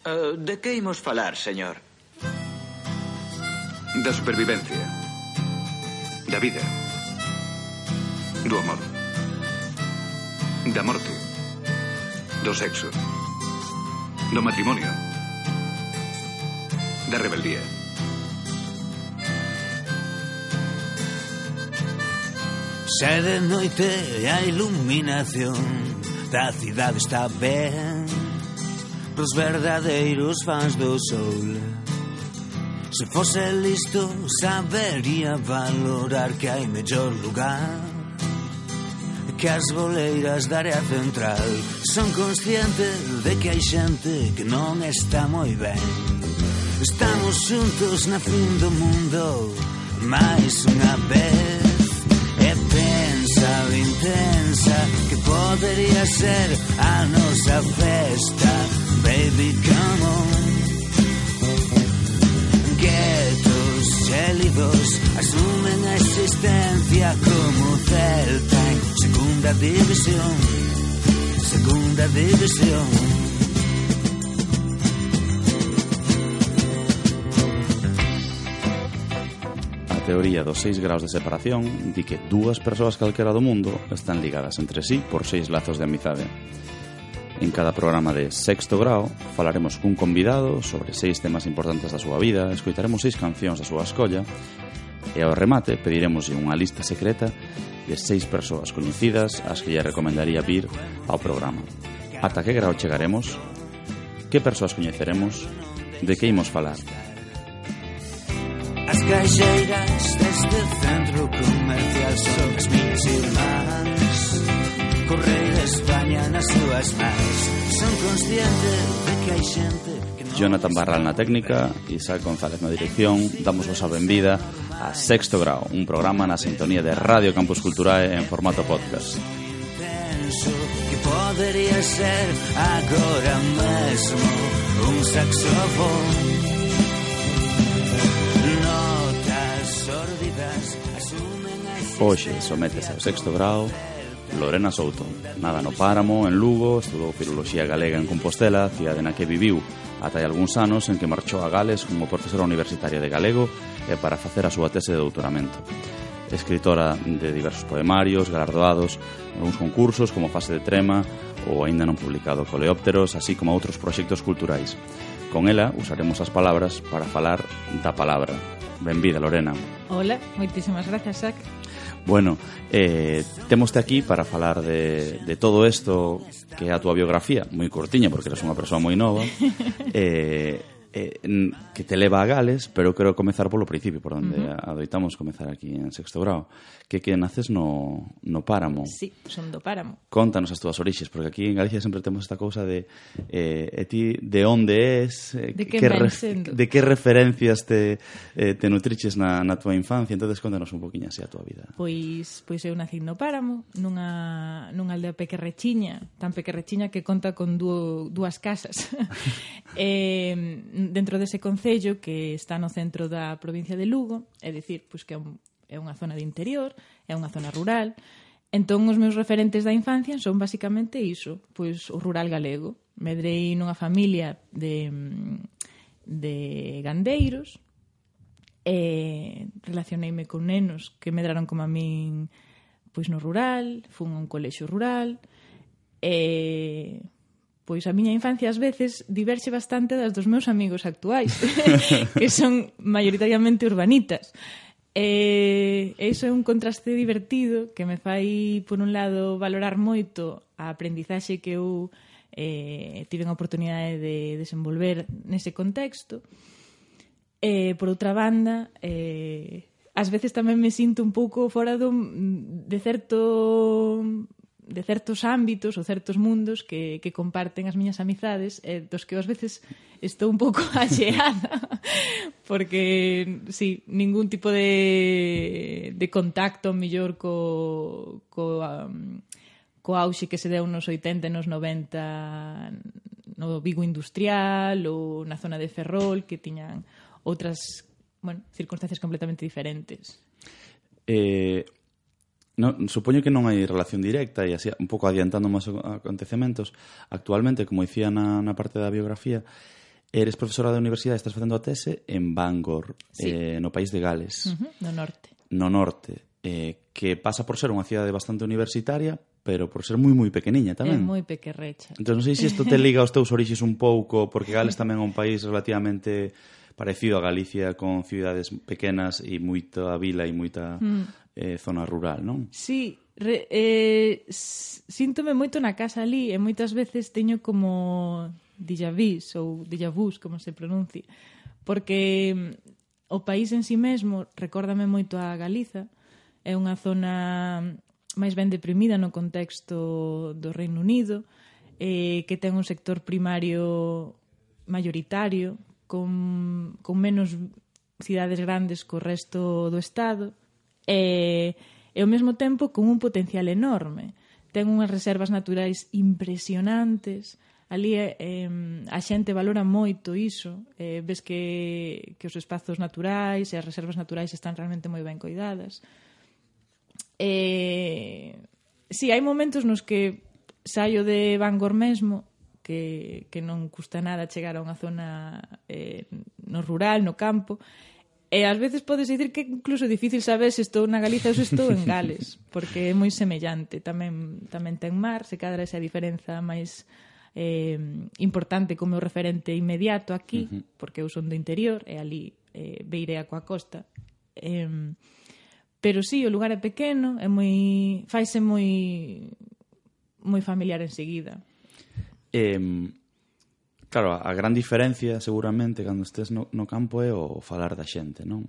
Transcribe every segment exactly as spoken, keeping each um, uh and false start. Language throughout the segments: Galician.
Uh, de que imos falar, señor? Da supervivencia. Da vida. Do amor. Da morte. Do sexo. Do matrimonio. Da rebeldía. Xa de noite a iluminación da cidade está ben pros verdadeiros fans do sol. Se fose listo sabería valorar que hai mellor lugar que as boleiras da área central. Son consciente de que hai xente que non está moi ben. Estamos xuntos na fin do mundo máis unha vez. E pensa o intensa que podería ser a nosa festa. Baby, come on. Guetos gélidos asumen a existencia como Celta en segunda división. Segunda división. A teoría dos seis graus de separación di que dúas persoas calquera do mundo están ligadas entre sí por seis lazos de amizade. En cada programa de Sexto Grao falaremos cun convidado sobre seis temas importantes da súa vida, escoitaremos seis cancións da súa escolla e ao remate pediremos unha lista secreta de seis persoas coñecidas ás que lle recomendaría vir ao programa. Ata que grao chegaremos? Que persoas coñeceremos? De que imos falar? As caixeiras deste centro comercial son as miñas irmás. Correi de España nas súas mans. Son consciente de que hai xente que non... Jonathan Barral na técnica, Isaac González na dirección. Damos vos a benvida a Sexto Grao, un programa na sintonía de Radio Campus Culturae en formato podcast. Intenso que podería ser agora mesmo un saxofón. Hoxe sométese ao Sexto Grao Lorena Souto. Nada no Páramo, en Lugo, estudou Filoloxía Galega en Compostela, cidade na que viviu ata hai algúns anos, en que marchou a Gales como profesora universitaria de galego e para facer a súa tese de doutoramento. Escritora de diversos poemarios, galardoados en algúns concursos como Fase de Trema ou aínda non publicado Coleópteros, así como outros proxectos culturais. Con ela usaremos as palabras para falar da palabra. Benvida, Lorena. Hola, moitísimas grazas, Sac. Bueno, eh, temoste aquí para falar de, de todo isto que é a túa biografía, moi cortiña porque eres unha persoa moi nova, eh, eh, que te leva a Gales, pero quero comezar polo principio, por onde uh-huh. adoitamos comezar aquí en Sexto Grao, que que naces no, no Páramo. Sí, son do Páramo. Contanos as túas orixes, porque aquí en Galicia sempre temos esta cousa de eh, e ti de onde és, eh, de que, que re, de que referencias te, eh, te nutriches na, na túa infancia. Entonces contanos un poquinho así a túa vida. Pois pois eu nací no Páramo, nunha, nunha aldea pequerrechiña, tan pequerrechiña que conta con dúo, dúas casas. eh, dentro dese concello que está no centro da provincia de Lugo, é dicir, pois que é, un, é unha zona de interior, é unha zona rural. Entón os meus referentes da infancia son basicamente iso, pois o rural galego. Medrei nunha familia de de gandeiros, e relacioneime con nenos que medraron como a min pois no rural, fun a un colexio rural, e pois a miña infancia ás veces diverxe bastante das dos meus amigos actuais, que son maioritariamente urbanitas. E iso é un contraste divertido que me fai, por un lado, valorar moito a aprendizaxe que eu eh, tive a oportunidade de desenvolver nese contexto. E, por outra banda, eh, ás veces tamén me sinto un pouco fora do, de certo... de certos ámbitos ou certos mundos que, que comparten as miñas amizades, eh, dos que ás veces estou un pouco axeada, porque, sí, ningún tipo de, de contacto mellor co, co, um, co auxe que se deu nos oitenta e nos noventa no Vigo industrial ou na zona de Ferrol, que tiñan outras, bueno, circunstancias completamente diferentes. Eh... No, supoño que non hai relación directa e así un pouco adiantando máis acontecementos actualmente, como dicía na, na parte da biografía, eres profesora da universidade, estás facendo a tese en Bangor, sí. eh, no país de Gales. Uh-huh, no norte. No norte, eh, que pasa por ser unha cidade bastante universitaria, pero por ser moi moi pequeniña tamén. É moi pequerrecha. Entón, non sei se isto te liga aos teus orixes un pouco, porque Gales tamén é un país relativamente parecido a Galicia, con cidades pequenas e moita vila e moita mm. eh, zona rural, non? Sí, re, eh, síntome moito na casa ali e moitas veces teño como déjà vus ou déjà vus, como se pronuncia, porque o país en si mesmo recórdame moito a Galiza. É unha zona máis ben deprimida no contexto do Reino Unido, eh, que ten un sector primario mayoritario, con, con menos cidades grandes co resto do Estado, e, e ao mesmo tempo con un potencial enorme. Ten unhas reservas naturais impresionantes. Ali eh, a xente valora moito iso. Eh, ves que, que os espazos naturais e as reservas naturais están realmente moi ben coidadas. Eh, si, sí, hai momentos nos que saio de Bangor mesmo, que, que non custa nada chegar a unha zona eh, no rural, no campo, e ás veces podes dicir que é incluso difícil saber se estou na Galiza ou se estou en Gales, porque é moi semellante. Tamén, tamén ten mar, se cadra esa diferenza máis eh, importante como o referente inmediato aquí, uh-huh. porque eu son do interior e ali eh, beirei coa costa. Eh, pero sí, o lugar é pequeno, é moi faise moi moi familiar enseguida. Eh, claro, a gran diferencia seguramente cando estés no, no campo é o falar da xente, non?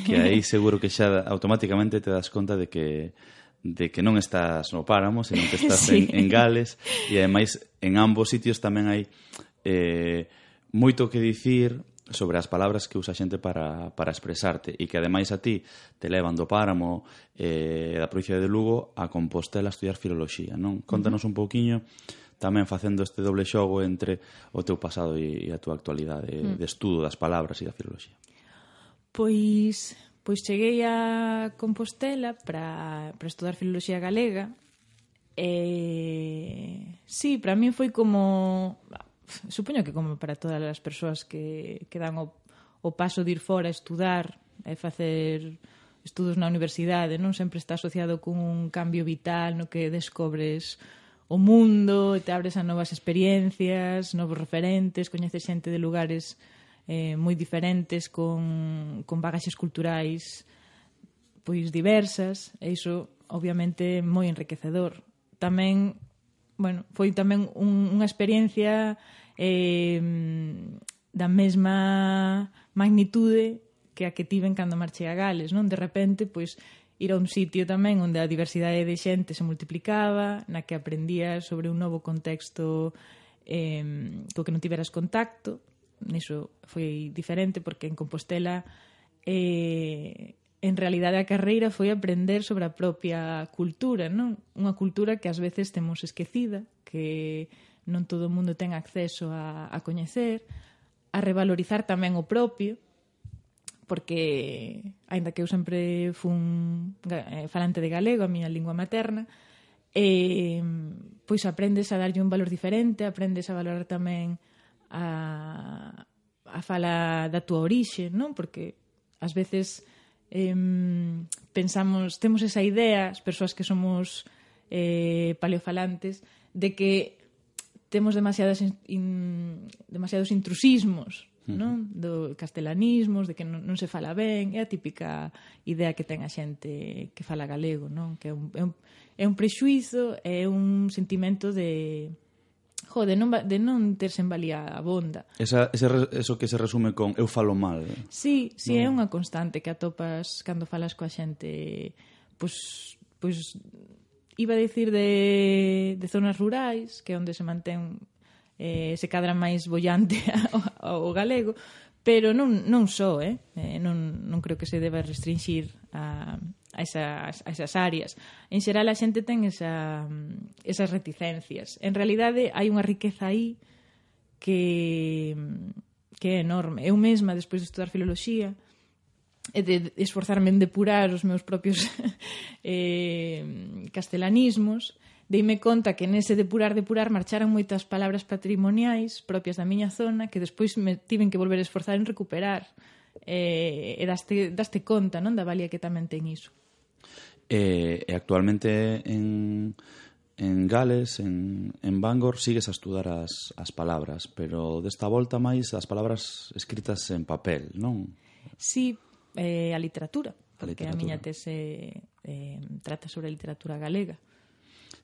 Que aí seguro que xa automáticamente te das conta de que de que non estás no Páramo, senón que estás sí. en, en Gales, e ademais en ambos sitios tamén hai eh, moito que dicir sobre as palabras que usa a xente para, para expresarte, e que ademais a ti te levan do Páramo eh, da provincia de Lugo a Compostela a estudiar filoloxía, non? Contanos uh-huh. un pouquiño tamén facendo este doble xogo entre o teu pasado e, e a tua actualidade uh-huh. de estudo das palabras e da filoloxía. Pois... Pois cheguei a Compostela para, para estudar filoloxía galega e... Sí, para mí foi como... Supoño que como para todas as persoas que, que dan o, o paso de ir fora a estudar e facer estudos na universidade, non sempre está asociado con un cambio vital no que descobres o mundo e te abres a novas experiencias, novos referentes, coñeces xente de lugares... Eh, moi diferentes, con, con bagaxes culturais pois diversas, e iso obviamente moi enriquecedor. Tamén, bueno, foi tamén un, unha experiencia eh, da mesma magnitude que a que tiven cando marchei a Gales, non? De repente, pois, ir a un sitio tamén onde a diversidade de xente se multiplicaba, na que aprendías sobre un novo contexto eh, co que non tiveras contacto. Niso foi diferente, porque en Compostela eh, en realidade a carreira foi aprender sobre a propia cultura, non? Unha cultura que ás veces temos esquecida, que non todo o mundo ten acceso a, a coñecer, a revalorizar tamén o propio, porque aínda que eu sempre fun eh, falante de galego, a miña lingua materna, eh, pois aprendes a darlle un valor diferente, aprendes a valorar tamén a, a fala da túa orixe, non? Porque ás veces eh, pensamos, temos esa idea, as persoas que somos eh, paleofalantes, de que temos demasiadas in, demasiados intrusismos, non? Do castelanismos, de que non, non se fala ben, é a típica idea que ten a xente que fala galego, non? Que é un, é un, é un prexuizo, é un sentimento de Jo, de non, de non terse en valía a bonda. Esa, ese, eso que se resume con eu falo mal. Sí, sí, no. É unha constante que atopas cando falas coa xente, pois, pois iba a dicir de, de zonas rurais, que é onde se mantén, eh, se cadra máis bollante ao, ao galego, pero non, non só, eh? eh non, non creo que se deba restringir a... A esas, a esas áreas. En xeral a xente ten esa, esas reticencias. En realidade hai unha riqueza aí que, que é enorme. Eu mesma, despois de estudar filoloxía e de esforzarme en depurar os meus propios eh, castelanismos, deime conta que nese depurar, depurar marcharan moitas palabras patrimoniais propias da miña zona que despois me tiven que volver a esforzar en recuperar. E, e daste, daste conta, non, da valía que tamén ten iso. E, e actualmente en, en Gales, en, en Bangor, sigues a estudar as, as palabras, pero desta volta máis as palabras escritas en papel, non? Sí, eh, a literatura, porque a, literatura. a miña tese eh, trata sobre a literatura galega.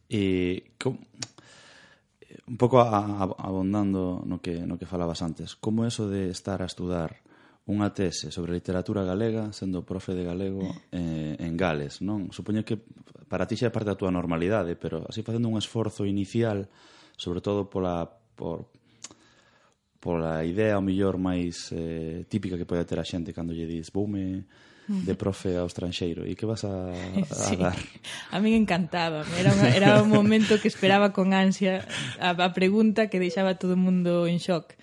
E com, un pouco a, a, abondando no que, no que falabas antes, como eso de estar a estudar unha tese sobre literatura galega sendo profe de galego eh, en Gales, non? Supoño que para ti xa é parte da túa normalidade, pero así facendo un esforzo inicial, sobre todo pola por, pola idea ao mellor máis eh, típica que pode ter a xente cando lle dis voume de profe ao estranxeiro, e que vas a, a sí. dar? A mí encantaba, era, unha, era un momento que esperaba con ansia a, a pregunta que deixaba todo o mundo en shock.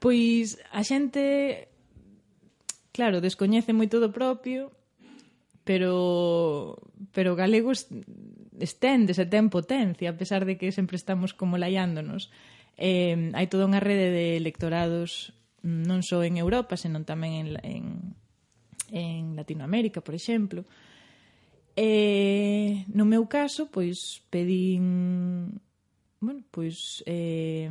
Pois a xente, claro, descoñece moito do propio, pero pero galego esténdese, ten potencia, a pesar de que sempre estamos como laiándonos. Eh, hai toda unha rede de lectorados non só en Europa, senón tamén en, en, en Latinoamérica, por exemplo. E no meu caso, pois pedín, bueno, pois eh,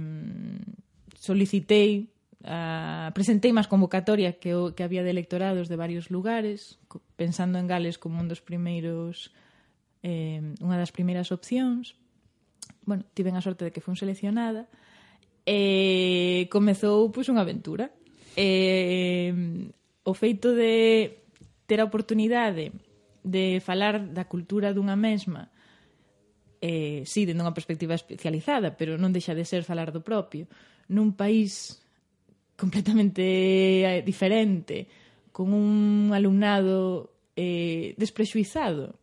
solicitei Uh, presentei máis convocatoria que, o, que había de electorados de varios lugares, pensando en Gales como un dos primeiros eh, unha das primeiras opcións. Bueno, tiven a sorte de que fun seleccionada e comezou pois unha aventura. E, o feito de ter a oportunidade de falar da cultura dunha mesma, eh, sí, dende unha perspectiva especializada, pero non deixa de ser falar do propio, nun país completamente diferente, con un alumnado eh, desprexuizado,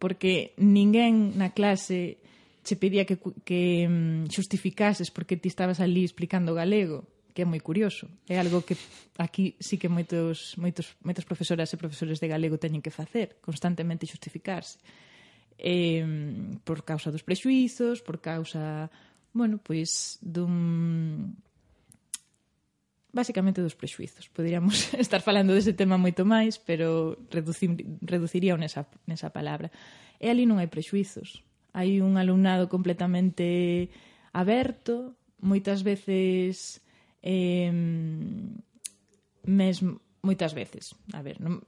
porque ninguén na clase che pedía que, que xustificases porque ti estabas ali explicando galego, que é moi curioso. É algo que aquí sí que moitos, moitos, moitos profesoras e profesores de galego teñen que facer, constantemente xustificarse. Eh, por causa dos prexuizos, por causa, bueno, pois, dun... basicamente dos prexuizos. Poderíamos estar falando dese tema moito máis, pero reducir, reduciría nesa, nesa palabra. E ali non hai prexuizos. Hai un alumnado completamente aberto, moitas veces eh, mesmo, moitas veces, a ver, non,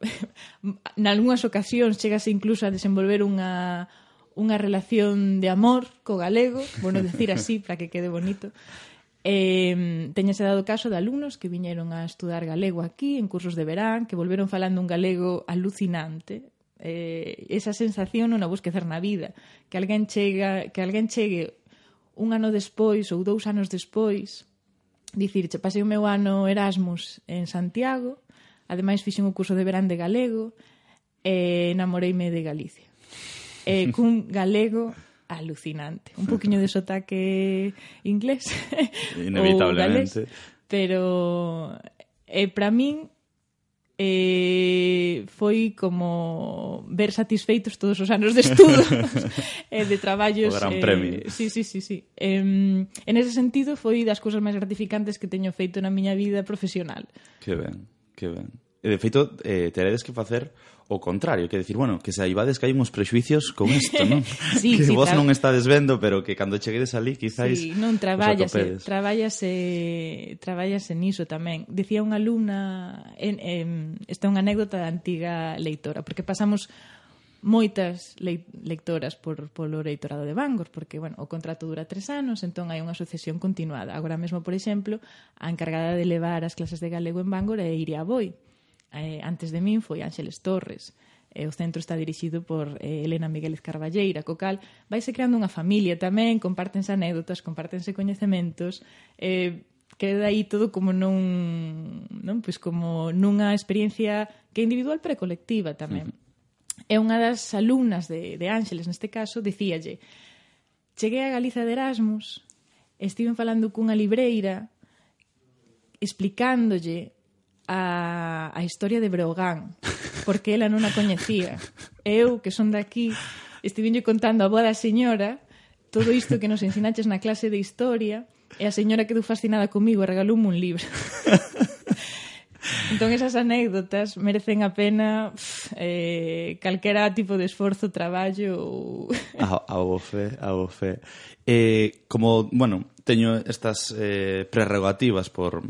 nalgúnas ocasións chegase incluso a desenvolver unha unha relación de amor co galego, bueno, decir así, para que quede bonito. Eh, teñase dado caso de alumnos que viñeron a estudar galego aquí en cursos de verán, que volveron falando un galego alucinante. Eh, esa sensación non a vou esquecer na vida, que alguén chega, que alguén chegue un ano despois ou dous anos despois, dicirche, pasei o meu ano Erasmus en Santiago, ademais fixen o curso de verán de galego e namoreime de Galicia. E cun galego alucinante. Un poquinho de sotaque inglés inevitablemente, galés, pero eh, para min eh, foi como ver satisfeitos todos os anos de estudo e eh, de traballos. O gran eh, premio. Sí, sí, sí, sí. Eh, en ese sentido foi das cousas máis gratificantes que teño feito na miña vida profesional. Que ben, que ben. E de feito, eh, teredes que facer o contrario, que decir, bueno, que se aibades que hai uns prexuicios con isto, non? Sí, que sí, vos tra... non estades vendo, pero que cando cheguedes ali, quizáis sí, non traballase, traballase, traballase niso tamén. Dicía unha alumna, en, en, esta é unha anécdota da antiga leitora, porque pasamos moitas le, lectoras por, polo leitorado de Bangor, porque, bueno, o contrato dura tres anos, entón hai unha asociación continuada. Agora mesmo, por exemplo, a encargada de levar as clases de galego en Bangor é Iria Boi. Eh, antes de min foi Ángeles Torres. Eh, o centro está dirixido por eh, Elena Migueles Carballeira, co cal vaise creando unha familia tamén, compártense anécdotas, compártense coñecementos, eh, queda aí todo como nun, non? Pois como nunha experiencia que é individual pero colectiva tamén. Uh-huh. E unha das alumnas de, de Ángeles, neste caso, dicíalle: cheguei a Galiza de Erasmus, estiven falando cunha libreira explicándolle A, a historia de Breogán, porque ela non a coñecía. Eu, que son daqui, estivenlle contando a boa da señora todo isto que nos ensinaches na clase de historia, e a señora quedou fascinada comigo e regaloume un libro. Entón, esas anécdotas merecen a pena pff, eh, calquera tipo de esforzo, traballo ou... A, a bofe, a bofe. Eh, como, bueno, teño estas eh, prerrogativas por...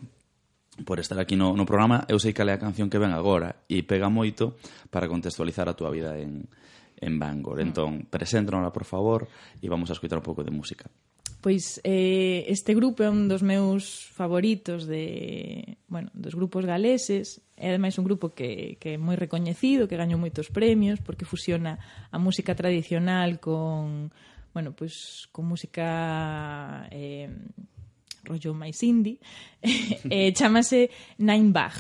por estar aquí no, no programa, eu sei cal é a canción que ven agora e pega moito para contextualizar a túa vida en, en Bangor. Entón, preséntanosla, por favor, e vamos a escoitar un pouco de música. Pois eh, este grupo é un dos meus favoritos de, bueno, dos grupos galeses. É ademais un grupo que, que é moi recoñecido, que gañou moitos premios porque fusiona a música tradicional con, bueno, pois con música eh, rollo máis indie. eh, chamase Nine Bag,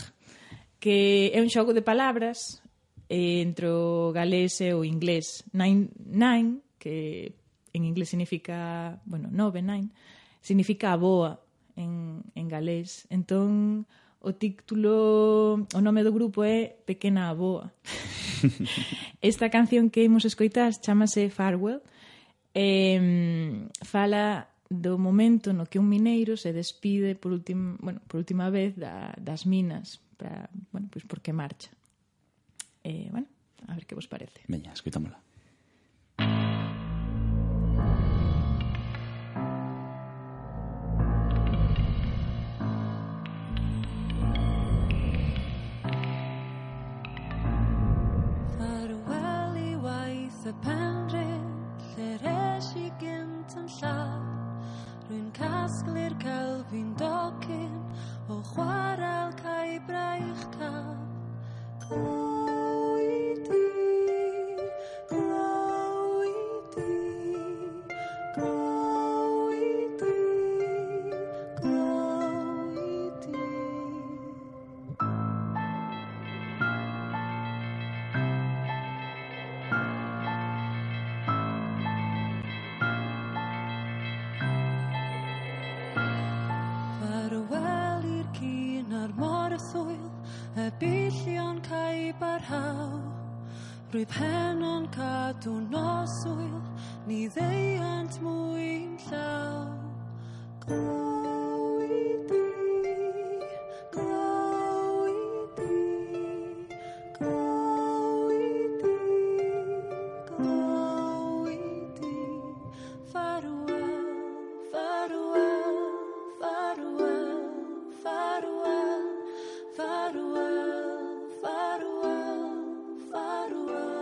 que é un xogo de palabras eh, entre o galés e o inglés. Nine, nine, que en inglés significa, bueno, nove, nine, significa a boa en, en galés. Entón, o título, o nome do grupo é Pequena Aboa. Esta canción que imos escoitar chamase Farewell. Eh, fala do momento no que un mineiro se despide por última, bueno, por última vez da, das minas para, bueno, pois porque marcha. Eh, bueno, a ver que vos parece. Veña, escoitámola. Farewell I waith y penryn lle res I gynt yn llaw. Rwy'n casglu'r celfi'n docyn o chwarel cael braich cael. Glow I di, glow I di, glow I di, glow I di. Farewell i'r cyn ar mor y thwyl, y billion cael barhaw. Rwy'n pen o'n cadw noswyl, ni ddeiant mwyn llaw. Glow I di, glow I di, glow I di, glow I di. Farewell, farewell, farewell, farewell, farewell, farewell, farewell.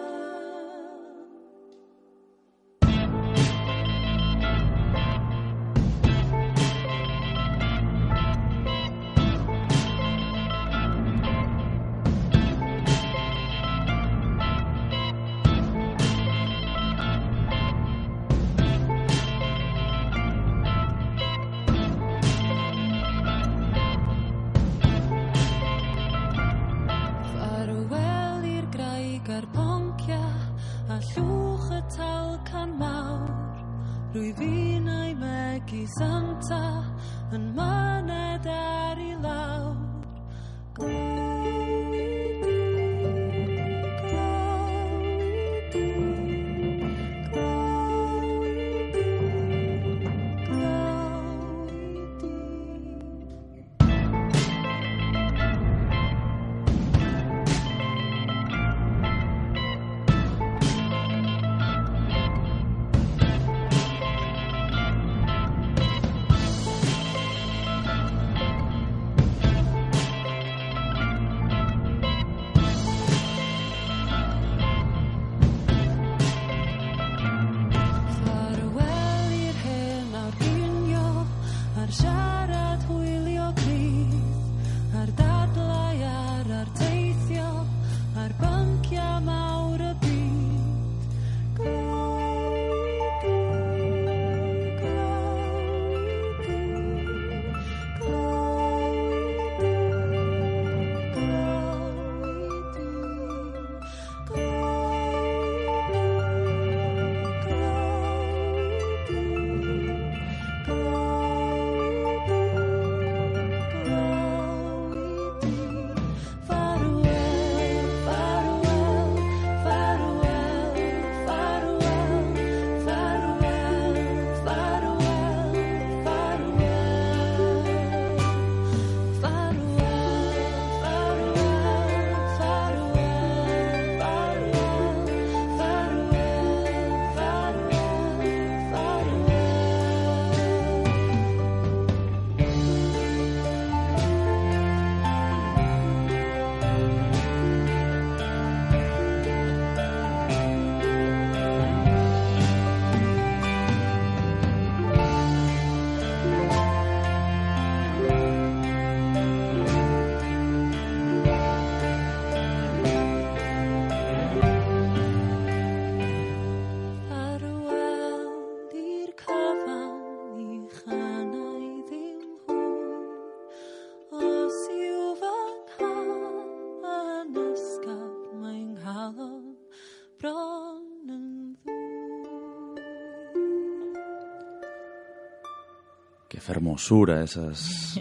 fermosura, esas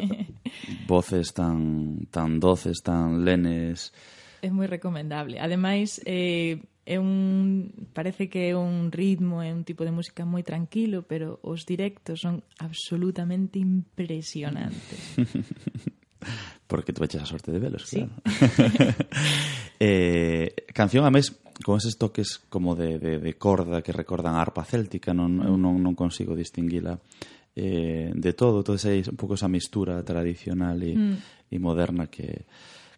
voces tan tan doces, tan lenes. É moi recomendable. Ademais, eh, é un parece que é un ritmo, é un tipo de música moi tranquilo, pero os directos son absolutamente impresionantes. Porque tú eches a sorte de velos, Sí. claro. eh, canción, a mes, con eses toques como de, de, de corda que recordan a arpa céltica, non, eu non, non consigo distinguila eh, de todo, todo ese, un pouco esa mistura tradicional e, mm. e moderna que,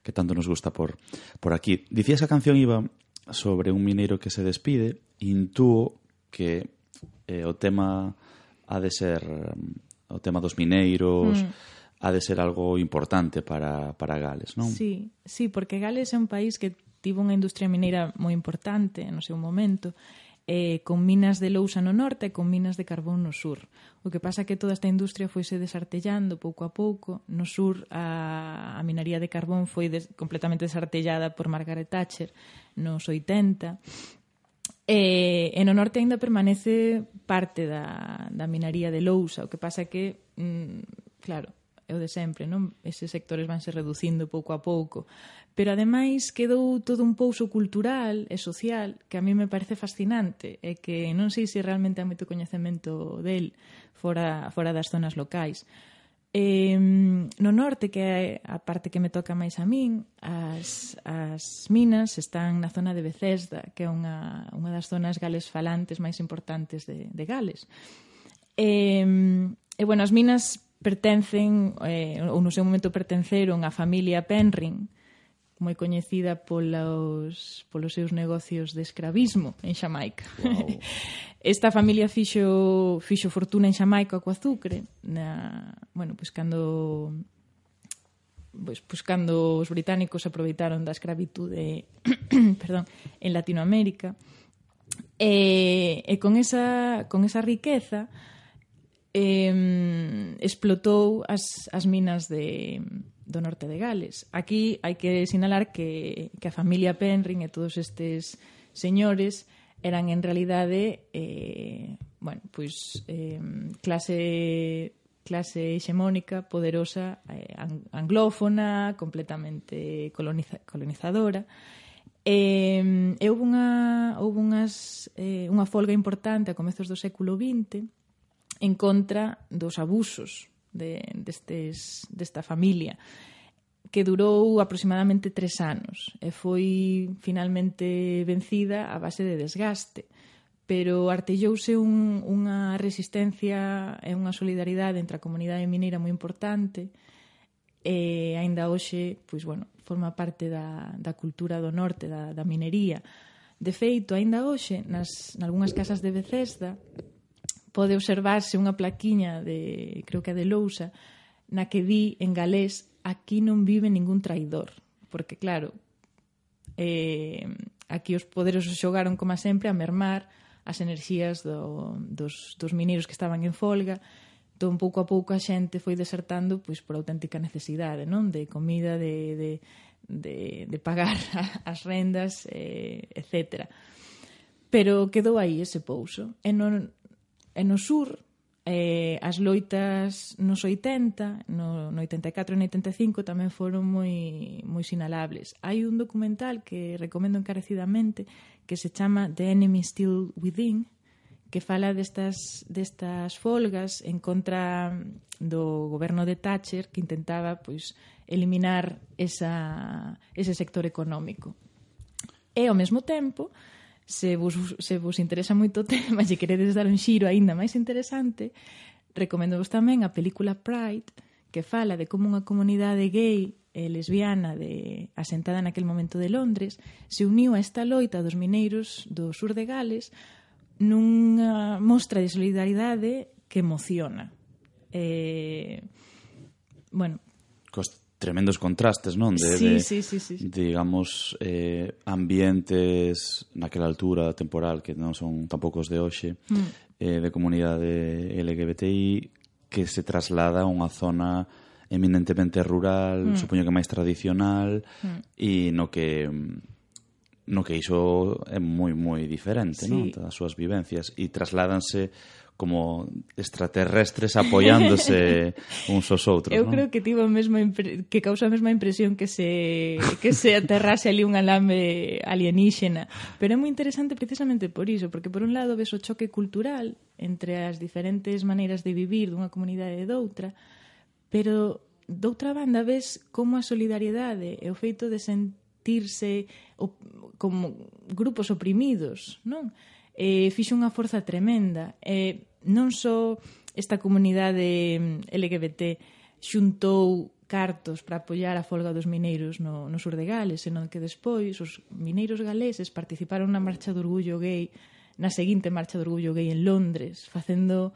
que tanto nos gusta por, por aquí. Dicía esa canción iba sobre un mineiro que se despide, intúo que eh, o tema ha de ser o tema dos mineiros, mm. ha de ser algo importante para, para Gales, non? Sí, sí, porque Gales é un país que tivo unha industria mineira moi importante no seu momento, eh, con minas de lousa no norte e con minas de carbón no sur. O que pasa é que toda esta industria foise desartellando pouco a pouco. No sur a, a minería de carbón foi des, completamente desartellada por Margaret Thatcher nos oitenta. E, e no norte ainda permanece parte da, da minería de lousa. O que pasa é que, mm, claro, é o de sempre, non? Eses sectores vanse reducindo pouco a pouco. Pero, ademais, quedou todo un pouso cultural e social que a mí me parece fascinante e que non sei se realmente hai moito coñecemento del fora, fora das zonas locais. Eh, no norte, que é a parte que me toca máis a min, as, as minas están na zona de Bethesda, que é unha, unha das zonas gales falantes máis importantes de, de Gales. E, e, bueno, as minas pertencen, eh, ou no seu momento pertenceron á familia Penryn, moi coñecida polos, polos seus negocios de escravismo en Xamaica. Wow. Esta familia fixo, fixo fortuna en Xamaica co azucre, na, bueno, pois cando pois, pois cando os británicos aproveitaron da escravitude perdón, en Latinoamérica. E, e con esa con esa riqueza Eh, explotou as, as minas de, do norte de Gales. Aquí hai que sinalar que, que a familia Penryn e todos estes señores eran en realidade eh, bueno, pois, eh, clase clase hexemónica, poderosa, eh, anglófona, completamente coloniza, colonizadora. E, e houve unha, houve unhas, eh, unha folga importante a comezos do século vinte en contra dos abusos de, destes, desta familia, que durou aproximadamente tres anos e foi finalmente vencida a base de desgaste, pero artellouse un, unha resistencia e unha solidaridade entre a comunidade mineira moi importante e aínda hoxe, pois, bueno, forma parte da, da cultura do norte, da, da minería. De feito, aínda hoxe, nas nalgúnas casas de Bethesda, pode observarse unha plaquiña de, creo que é de lousa, na que di en galés: aquí non vive ningún traidor. Porque, claro, eh, aquí os poderosos xogaron, como sempre, a mermar as enerxías do, dos, dos mineiros que estaban en folga. Entón, pouco a pouco a xente foi desertando pois por auténtica necesidade, non? De comida, de, de, de, de pagar as rendas, eh, etcétera. Pero quedou aí ese pouso. E non E no sur, eh, as loitas nos oitenta, no, no oitenta e catro e no oitenta e cinco tamén foron moi, moi sinalables. Hai un documental que recomendo encarecidamente que se chama The Enemy Still Within, que fala destas, destas folgas en contra do goberno de Thatcher, que intentaba pois, eliminar esa, ese sector económico. E, ao mesmo tempo, Se vos, se vos interesa moito o tema e queredes dar un xiro aínda máis interesante, recomendo vos tamén a película Pride, que fala de como unha comunidade gay e lesbiana de, asentada naquel momento de Londres se uniu a esta loita dos mineiros do sur de Gales nunha mostra de solidaridade que emociona. Eh, bueno, Cos tremendos contrastes, non? De, sí, de, sí, sí, sí. digamos, eh, ambientes naquela altura temporal que non son tampouco os de hoxe, mm. eh, de comunidade L G B T I que se traslada a unha zona eminentemente rural, mm. supoño que máis tradicional, mm. e no que no que iso é moi moi diferente, sí. non? Das súas vivencias, e trasládanse como extraterrestres apoiándose uns aos outros, Eu non? creo que tivo a mesma impre... que causa a mesma impresión que se que se aterrase ali un alambre alienígena, pero é moi interesante precisamente por iso, porque por un lado ves o choque cultural entre as diferentes maneiras de vivir dunha comunidade e doutra, pero doutra banda ves como a solidariedade e o feito de sentirse o, como grupos oprimidos, non? Eh, fixo unha forza tremenda. Eh, non só esta comunidade L G B T xuntou cartos para apoiar a folga dos mineiros no, no sur de Gales, senón que despois os mineiros galeses participaron na marcha do orgullo gay, na seguinte marcha do orgullo gay en Londres, facendo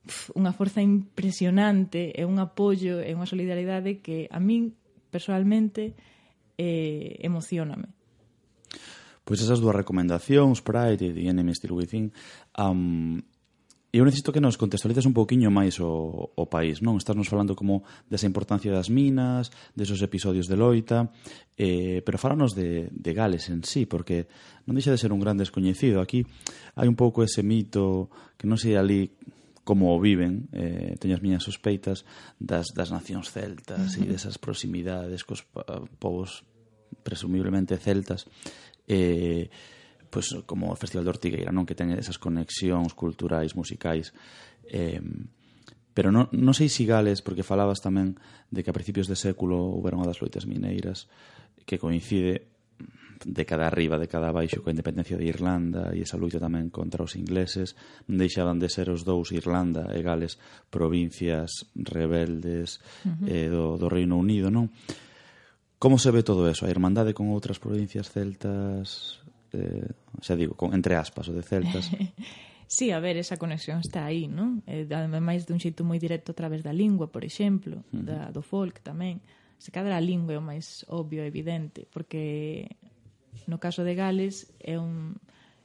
pf, unha forza impresionante e un apoio e unha solidaridade que a min, personalmente, eh, emocioname. Pois esas dúas recomendacións, Pride e The Enemy Still Within, um, eu necesito que nos contextualices un pouquiño máis o, o país, non? Estás nos falando como desa importancia das minas, desos episodios de loita, eh, pero fálanos de, de Gales en sí, porque non deixa de ser un gran descoñecido. Aquí hai un pouco ese mito que non sei ali como o viven, eh, teño as miñas sospeitas das, das nacións celtas e desas proximidades cos povos presumiblemente celtas, eh, pois como o Festival de Ortigueira, non, que ten esas conexións culturais, musicais, eh, pero non, non sei si Gales, porque falabas tamén de que a principios de século houberon unha das loitas mineiras que coincide década arriba, década abaixo coa independencia de Irlanda e esa loita tamén contra os ingleses. Non deixaban de ser os dous, Irlanda e Gales, provincias rebeldes uh-huh. eh, do, do Reino Unido, non? Como se ve todo eso? A irmandade con outras provincias celtas, eh, xa digo, con, entre aspas, o de celtas. Sí, a ver, esa conexión está aí, non? Eh, ademais dun xeito moi directo a través da lingua, por exemplo, uh-huh. da, do folk tamén. Se cadra a lingua é o máis obvio e evidente, porque no caso de Gales é un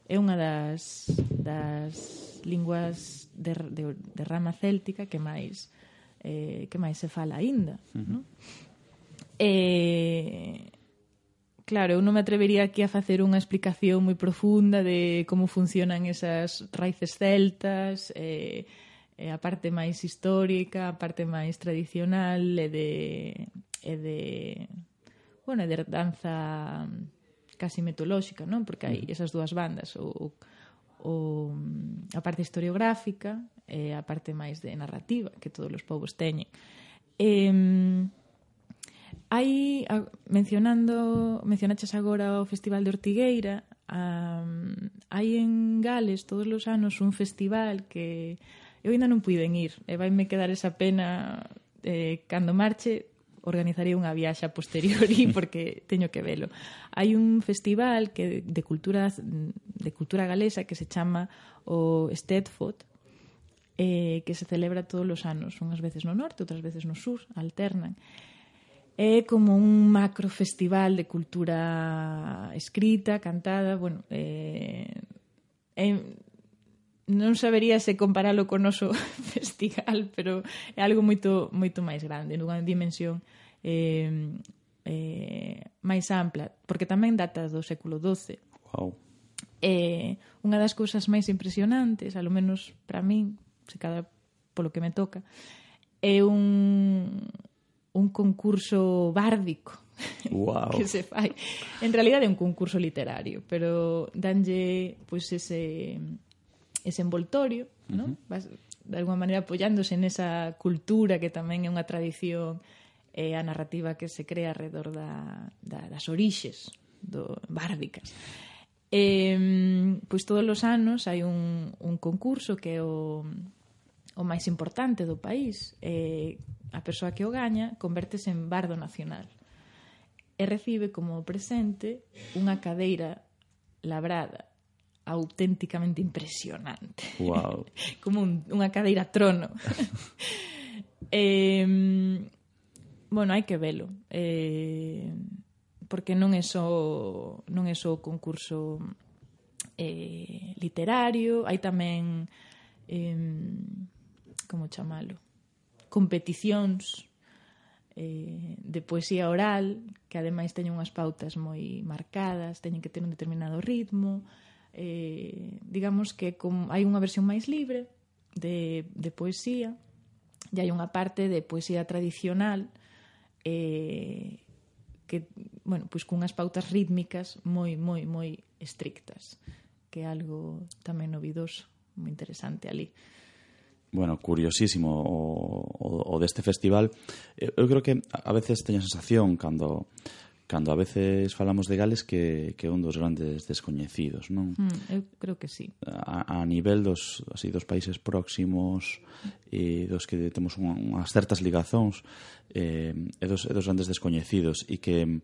é unha das das linguas de, de, de rama céltica que máis eh, que máis se fala aínda, uh-huh. non? Eh, claro, eu non me atrevería aquí a facer unha explicación moi profunda de como funcionan esas raíces celtas, eh, eh, a parte máis histórica, a parte máis tradicional e de, e de bueno, de danza casi mitolóxica, non? Porque hai esas dúas bandas, o, o, a parte historiográfica e a parte máis de narrativa que todos os povos teñen. Eh, Hai, mencionando, mencionaches agora o Festival de Ortigueira, um, hai en Gales todos os anos un festival que eu ainda non puiden ir, e vaime quedar esa pena, eh, cando marche organizarei unha viaxe a posteriori porque teño que velo. Hai un festival que de cultura de cultura galesa que se chama o Stedfod, eh, que se celebra todos os anos, unhas veces no norte, outras veces no sur, alternan. É como un macro festival de cultura escrita, cantada, bueno, eh, eh, non sabería se comparalo con o noso festival, pero é algo moito moito máis grande, nunha dimensión eh, eh, máis ampla, porque tamén data do século doce. Wow. Eh, unha das cousas máis impresionantes, alo menos para min, se cada polo que me toca, é un un concurso bárdico. Wow. Que se fai. En realidade é un concurso literario, pero danlle pois ese ese envoltorio, uh-huh. ¿no? Vas, de alguma maneira apoiándose nesa cultura que tamén é unha tradición e a narrativa que se crea alrededor da, da, das orixes do, bárdicas. E, pois todos os anos hai un, un concurso que é o, o máis importante do país, e a persoa que o gaña convértese en bardo nacional e recibe como presente unha cadeira labrada auténticamente impresionante. Wow. Como un, unha cadeira trono. eh, bueno, hai que velo. Eh, porque non é só non é só concurso eh, literario, hai tamén eh, como chamalo? Competicións eh, de poesía oral que ademais teñen unhas pautas moi marcadas, teñen que ter un determinado ritmo, eh, digamos que com, hai unha versión máis libre de, de poesía, e hai unha parte de poesía tradicional eh, que, bueno, pois cunhas pautas rítmicas moi, moi, moi estrictas, que é algo tamén novidoso, moi interesante ali. Bueno, curiosísimo o, o, o deste festival. Eu creo que a veces teño a sensación cando cando a veces falamos de Gales que, que é un dos grandes descoñecidos, non? Mm, eu creo que sí. A, a nivel dos, así, dos países próximos e dos que temos unhas certas ligazóns eh, é, dos, é dos grandes descoñecidos e que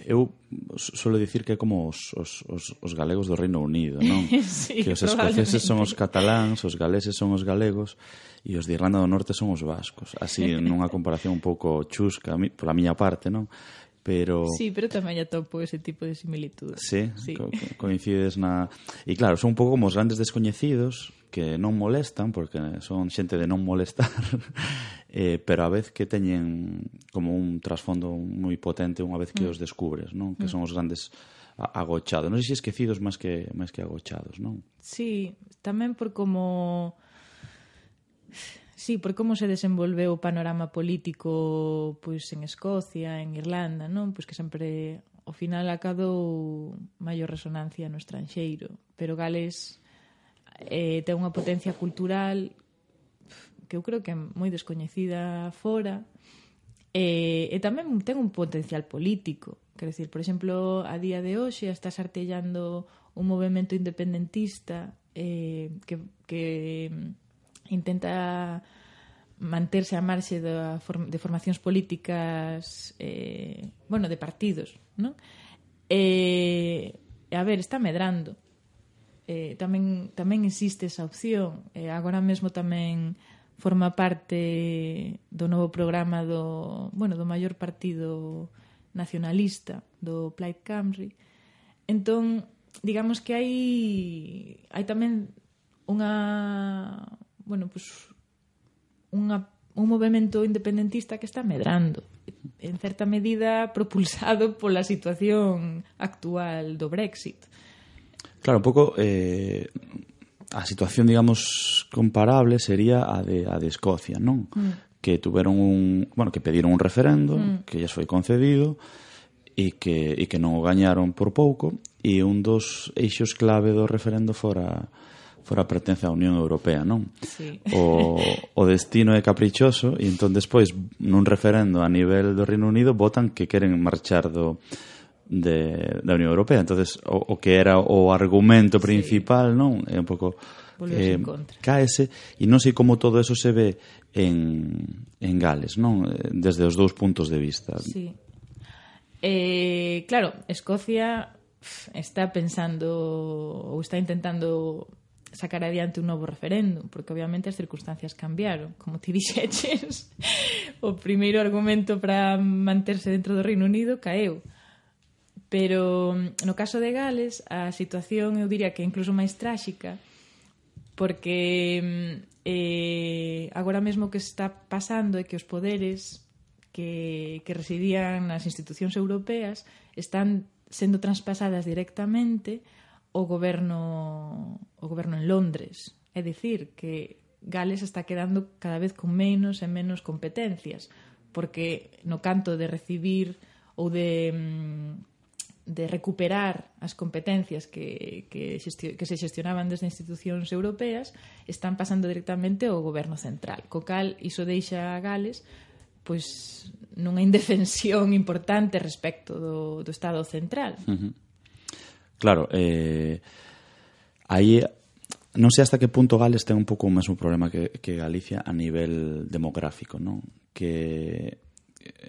eu suelo dicir que é como os, os, os, os galegos do Reino Unido, non? Sí, que os escoceses son os cataláns, os galeses son os galegos e os de Irlanda do Norte son os vascos. Así, nunha comparación un pouco chusca pola miña parte, non? Pero... Sí, pero tamén atopo ese tipo de similitudes. Sí, sí. Co coincides na... E claro, son un pouco como os grandes descoñecidos que non molestan, porque son xente de non molestar, eh, pero a vez que teñen como un trasfondo moi potente unha vez que mm. os descubres, non? Que son os grandes agochados. Non sei se esquecidos máis que, máis que agochados, non? Sí, tamén por como... Sí, por como se desenvolveu o panorama político pois en Escocia, en Irlanda, non? Pois que sempre ao final acadou maior resonancia no estranxeiro, pero Gales eh, ten unha potencia cultural que eu creo que é moi descoñecida fora e, e tamén ten un potencial político. Quero dicir, por exemplo, a día de hoxe está artellando un movemento independentista eh, que, que intenta manterse a marxe de, de formacións políticas eh, bueno, de partidos, non? E, a ver, está medrando eh, tamén, tamén existe esa opción eh, agora mesmo tamén forma parte do novo programa do, bueno, do maior partido nacionalista do Plaid Cymru. Entón, digamos que hai hai tamén unha bueno, pues unha, un movemento independentista que está medrando, en certa medida propulsado pola situación actual do Brexit. Claro, un pouco eh, a situación, digamos, comparable sería a de, a de Escocia, non? Mm. Que tuveron un, bueno, que pediron un referendo, mm. que lles foi concedido e que, e que non o gañaron por pouco, e un dos eixos clave do referendo fora fora a pertenza á Unión Europea, non? Sí. O, o destino é caprichoso e entón despois nun referendo a nivel do Reino Unido votan que queren marchar do de, da Unión Europea. Entonces o, o que era o argumento principal, sí, non? É un pouco eh, caese e non sei como todo eso se ve en, en Gales, non? Desde os dous puntos de vista. Sí. Eh, claro, Escocia está pensando ou está intentando sacar adiante un novo referéndum, porque obviamente as circunstancias cambiaron, como ti dixeches. O primeiro argumento para manterse dentro do Reino Unido caeu. Pero no caso de Gales a situación eu diría que é incluso máis tráxica, porque eh, agora mesmo que está pasando é que os poderes que, que residían nas institucións europeas están sendo traspasadas directamente o goberno o goberno en Londres. É dicir, que Gales está quedando cada vez con menos e menos competencias, porque no canto de recibir ou de, de recuperar as competencias que, que, xestio, que se xestionaban desde institucións europeas están pasando directamente ao goberno central, co cal iso deixa a Gales pois nunha indefensión importante respecto do, do Estado central. Uh-huh. Claro, eh, aí non sei hasta que punto Gales ten un pouco o mesmo problema que, que Galicia a nivel demográfico, non? Que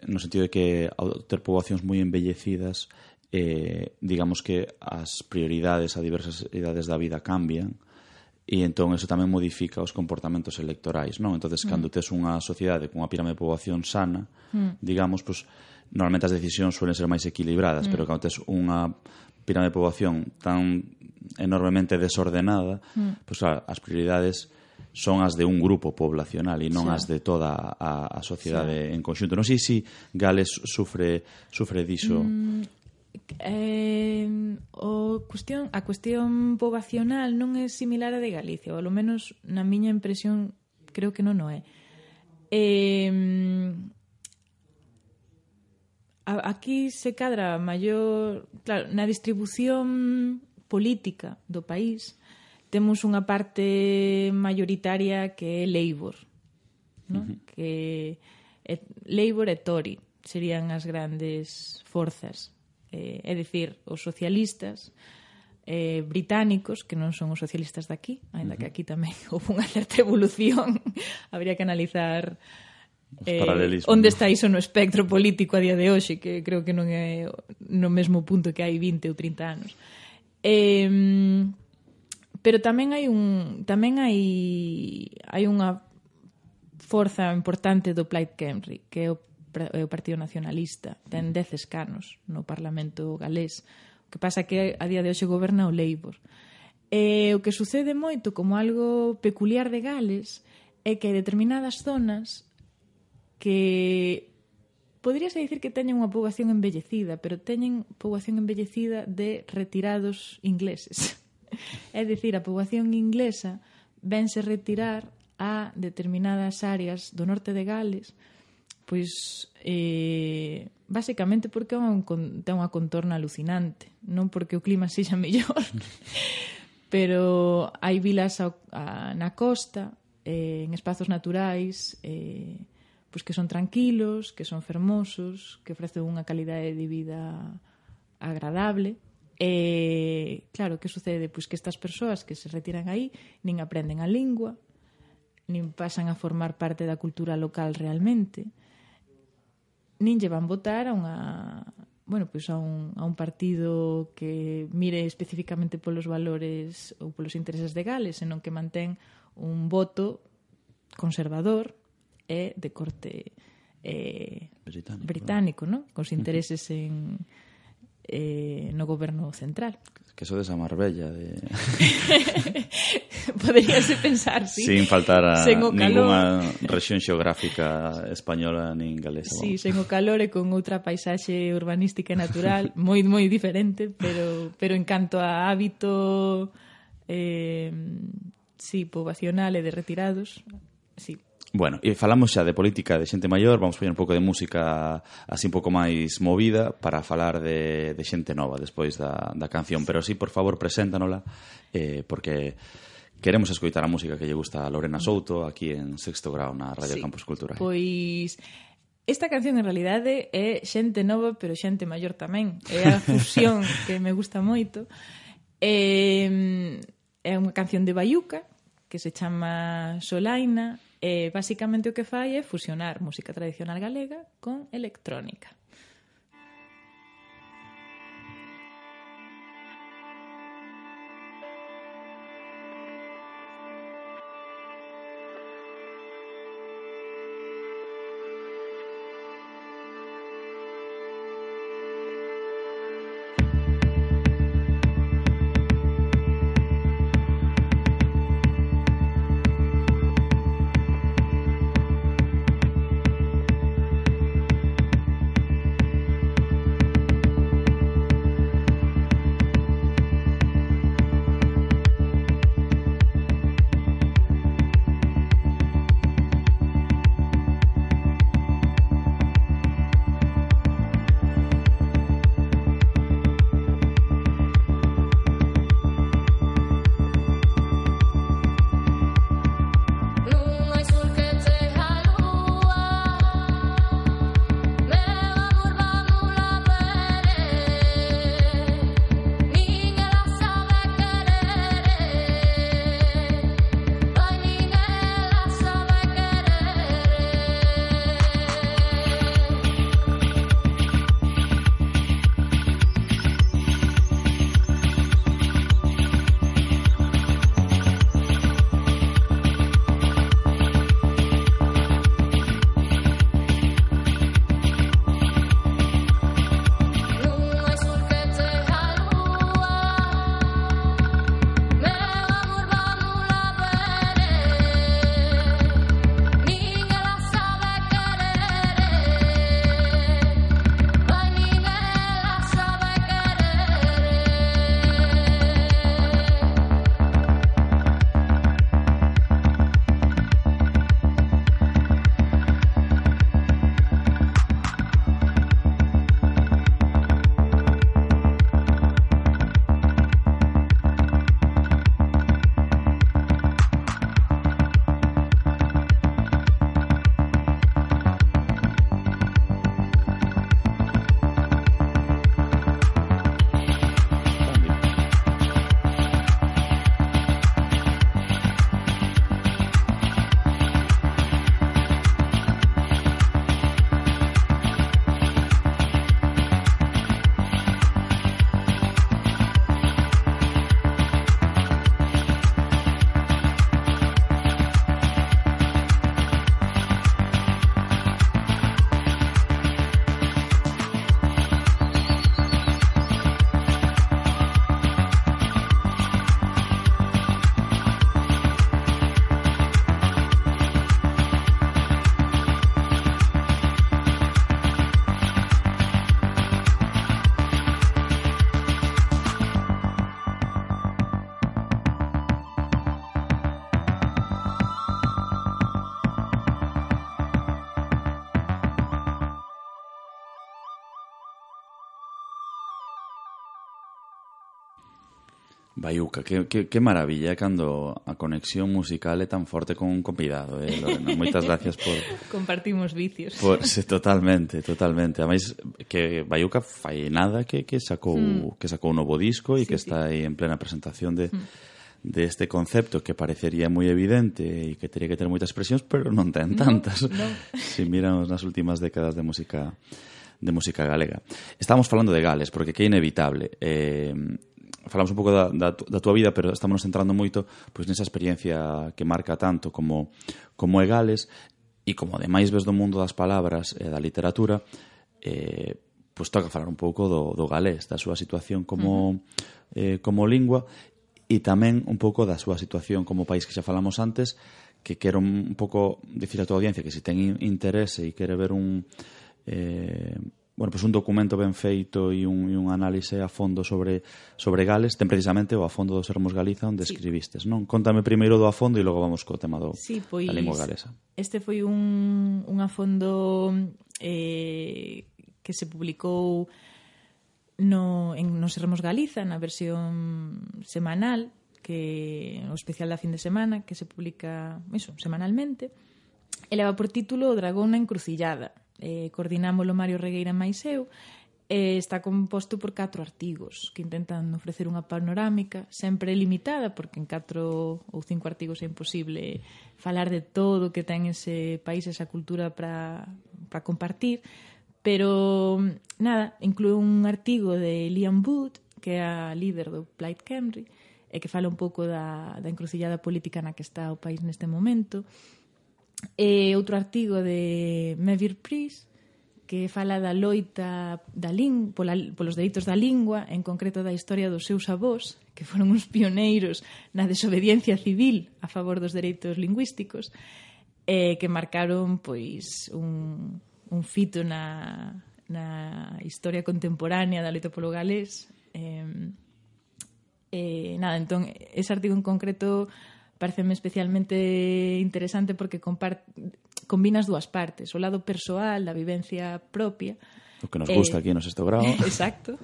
no sentido de que ao ter poboacións moi embellecidas eh, digamos que as prioridades a diversas idades da vida cambian e entón eso tamén modifica os comportamentos electorais, non? Entonces, mm. cando tes unha sociedade con unha pirame de poboación sana, mm. digamos, pues, normalmente as decisións suelen ser máis equilibradas, mm. pero cando tes unha pirame de poboación tan enormemente desordenada, mm. pues claro, as prioridades son as de un grupo poblacional e non sí. as de toda a, a sociedade sí. en conxunto. Non sei se Gales sufre sufre diso. Mm, eh, o cuestión, a cuestión poboacional non é similar a de Galicia, ou ao menos na miña impresión creo que non o é. Eh, aquí se cadra maior, claro, na distribución política do país temos unha parte mayoritaria que é Labour, ¿no? Uh-huh. Que é, Labour e Tory serían as grandes forzas, eh, é dicir, os socialistas eh, británicos, que non son os socialistas daqui, ainda uh-huh. que aquí tamén houve unha certa evolución. Habría que analizar eh, onde está iso no espectro político a día de hoxe, que creo que non é no mesmo punto que hai vinte ou trinta anos. Eh, pero tamén hai un tamén hai hai unha forza importante do Plaid Cymru, que é o, é o Partido Nacionalista, ten dez escanos no Parlamento galés. O que pasa que a día de hoxe goberna o Labour. E o que sucede moito como algo peculiar de Gales é que hai determinadas zonas que poderíase dicir que teñen unha poboación envellecida, pero teñen poboación envellecida de retirados ingleses. É dicir, a poboación inglesa vense retirar a determinadas áreas do norte de Gales, pois eh, basicamente porque un, ten unha contorna alucinante, non porque o clima sexa mellor, pero hai vilas a, a, na costa, eh, en espazos naturais, eh, pois que son tranquilos, que son fermosos, que ofrecen unha calidade de vida agradable. E, claro, que sucede? Pois que estas persoas que se retiran aí nin aprenden a lingua, nin pasan a formar parte da cultura local realmente, nin lle van votar a unha, bueno, pois a un, a un partido que mire especificamente polos valores ou polos intereses de Gales, senón que mantén un voto conservador e de corte eh, británico, británico, ¿no? Cos intereses en eh, no goberno central. Que eso desa Marbella de... Poderíase pensar, sí. Sin faltar a ninguna rexión xeográfica española nin galesa. Sí, sen o calor e con outra paisaxe urbanística e natural moi moi diferente, pero pero en canto a hábito eh, sí, poboacional e de retirados, sí. Bueno, e falamos xa de política de xente maior, vamos poñer un pouco de música así un pouco máis movida para falar de, de xente nova despois da, da canción, pero sí, por favor, preséntanola, eh, porque queremos escoitar a música que lle gusta a Lorena Souto aquí en Sexto Grao na Radio sí, Campus Cultural. Pois esta canción en realidade é xente nova, pero xente maior tamén, é a fusión que me gusta moito. É, é unha canción de Baiuca que se chama Solaina. E basicamente o que fai é fusionar música tradicional galega con electrónica. Baiuca, que, que, que maravilla cando a conexión musical é tan forte con un convidado, eh, Lorena. Moitas gracias por... Compartimos vicios. Por, sí, totalmente, totalmente. Ademais, que Baiuca fai nada que, que sacou mm. que sacou un novo disco e sí, que sí. está aí en plena presentación de, mm. de este concepto que parecería moi evidente e que teria que ter moitas expresións, pero non ten tantas. No, no. Si miramos nas últimas décadas de música de música galega. Estamos falando de Gales, porque que é inevitable. Eh, falamos un pouco da, da, da túa vida, pero estamos centrando moito pois nesa experiencia que marca tanto como, como é Gales, e como ademais ves do mundo das palabras e da literatura, eh, pois toca falar un pouco do, do galés, da súa situación como, uh-huh. eh, como lingua, e tamén un pouco da súa situación como país, que xa falamos antes, que quero un pouco dicir a tua audiencia que se ten interese e quere ver un... Eh, bueno, pues un documento ben feito e un, e un análise a fondo sobre, sobre Gales, ten precisamente o A Fondo dos Sermos Galiza, onde sí. escribistes, non? Contame primeiro do A Fondo e logo vamos co tema do, sí, pois, da lingua galesa. Este foi un, un A Fondo eh, que se publicou no, en Nos Sermos Galiza, na versión semanal, que o especial da fin de semana, que se publica eso, semanalmente, e leva por título O dragón na encrucillada. Eh, coordinámoslo Mario Regueira máis eu, e está composto por catro artigos que intentan ofrecer unha panorámica sempre limitada, porque en catro ou cinco artigos é imposible falar de todo que ten ese país, esa cultura para para compartir, pero nada, inclúe un artigo de Liam Wood, que é a líder do Plaid Cymru, e que fala un pouco da, da encrucillada política na que está o país neste momento. E outro artigo de Mevir Pris, que fala da loita da ling, pola, polos dereitos da lingua, en concreto da historia dos seus avós, que foron uns pioneiros na desobediencia civil a favor dos dereitos lingüísticos, eh, que marcaron pois un, un fito na, na historia contemporánea da loita polo galés. Eh, eh, nada, entón, ese artigo en concreto pareceme especialmente interesante porque compart... combina as dúas partes, o lado persoal da vivencia propia, o que nos gusta eh... aquí no sexto grado. Exacto.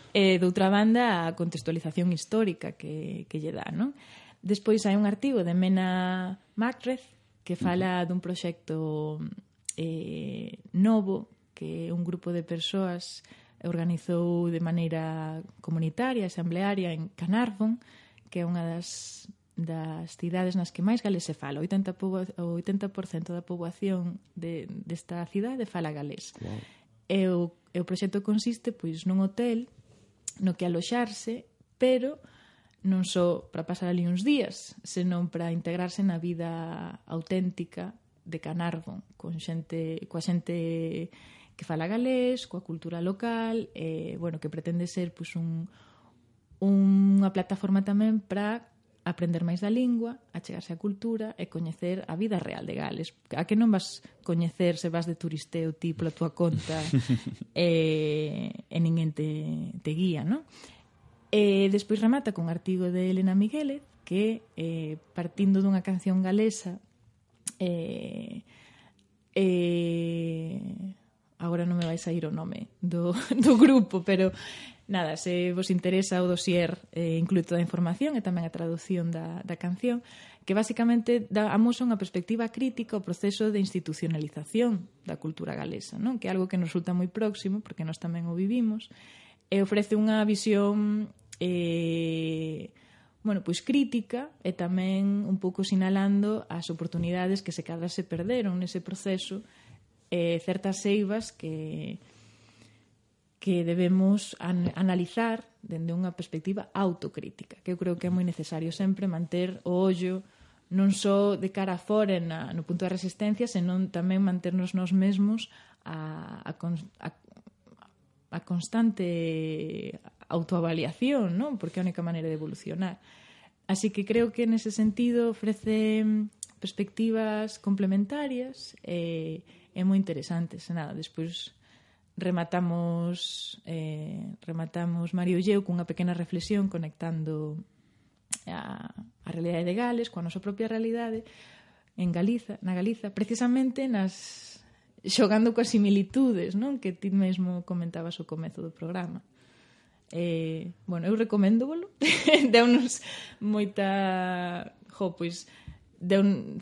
E doutra banda a contextualización histórica que, que lle dá, non? Despois hai un artigo de Mena Macreth que fala uh-huh. dun proxecto eh, novo que un grupo de persoas organizou de maneira comunitaria, asamblearia en Carnarvon, que é unha das das cidades nas que máis galés se fala. O oitenta por cento da poboación de, desta cidade fala galés. Wow. E, o, e o proxecto consiste pois nun hotel no que aloxarse, pero non só para pasar ali uns días, senón para integrarse na vida auténtica de Carnarvon, con xente, coa xente que fala galés, coa cultura local, e, bueno, que pretende ser pois, un, unha plataforma tamén para aprender máis da lingua, achegarse á cultura e coñecer a vida real de Gales. A que non vas coñecer se vas de turisteo ti pola tua conta e, e ninguén te, te guía, non? E despois remata con un artigo de Elena Migueles que, eh, partindo dunha canción galesa, eh, eh, agora non me vai sair o nome do, do grupo, pero nada, se vos interesa o dossier eh, inclúe toda a información e tamén a traducción da, da canción, que basicamente dá amosa unha perspectiva crítica ao proceso de institucionalización da cultura galesa, non? Que é algo que nos resulta moi próximo, porque nós tamén o vivimos, e ofrece unha visión eh, bueno, pois crítica e tamén un pouco sinalando as oportunidades que se cadra se perderon nese proceso, e certas eivas que que debemos an- analizar dende unha perspectiva autocrítica, que eu creo que é moi necesario sempre manter o ollo non só de cara a fora na, no punto de resistencia, senón tamén manternos nós mesmos a, a, a, a constante autoavaliación, non? Porque é a única maneira de evolucionar. Así que creo que nese sentido ofrece perspectivas complementarias e, e moi interesantes. Nada, despois rematamos eh, rematamos Mario e eu cunha pequena reflexión conectando a, a realidade de Gales coa nosa propia realidade en Galiza, na Galiza, precisamente nas xogando coas similitudes, non? Que ti mesmo comentabas ao comezo do programa. Eh, bueno, eu recoméndovolo. Deunos moita... Jo, pois... Deun...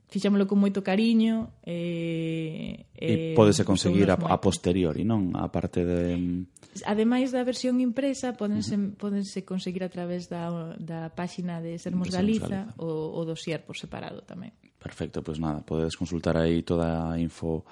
Fixámoslo con moito cariño. Eh, e pódese conseguir a, a posteriori, non? A parte de... Ademais da versión impresa, pódense, uh-huh. pódense conseguir a través da, da páxina de Sermos Galiza, Galiza. O, o dossier por separado tamén. Perfecto, pois pues nada, podedes consultar aí toda a info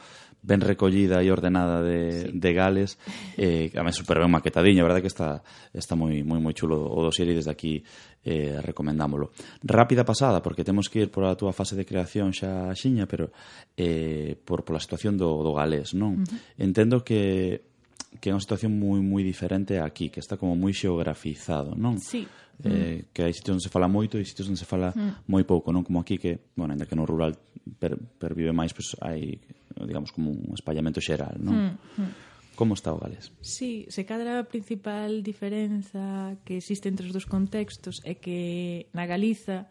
ben recollida e ordenada de, sí. de Gales, eh, a mí super ben maquetadiña, a verdade que está está moi moi moi chulo o dossier e desde aquí eh, recomendámolo. Rápida pasada, porque temos que ir por a túa fase de creación xa xiña, pero eh, por pola situación do, do galés, non? Uh-huh. Entendo que que é unha situación moi moi diferente aquí, que está como moi xeografizado, non? Sí. Eh, que hai sitios onde se fala moito e sitios onde se fala mm. moi pouco, non como aquí que, bueno, ainda que no rural per, pervive máis, pois pues, hai, digamos, como un espallamento xeral, non? Mm. Mm. Como está o galés? Sí, se cadra a principal diferenza que existe entre os dos contextos é que na Galiza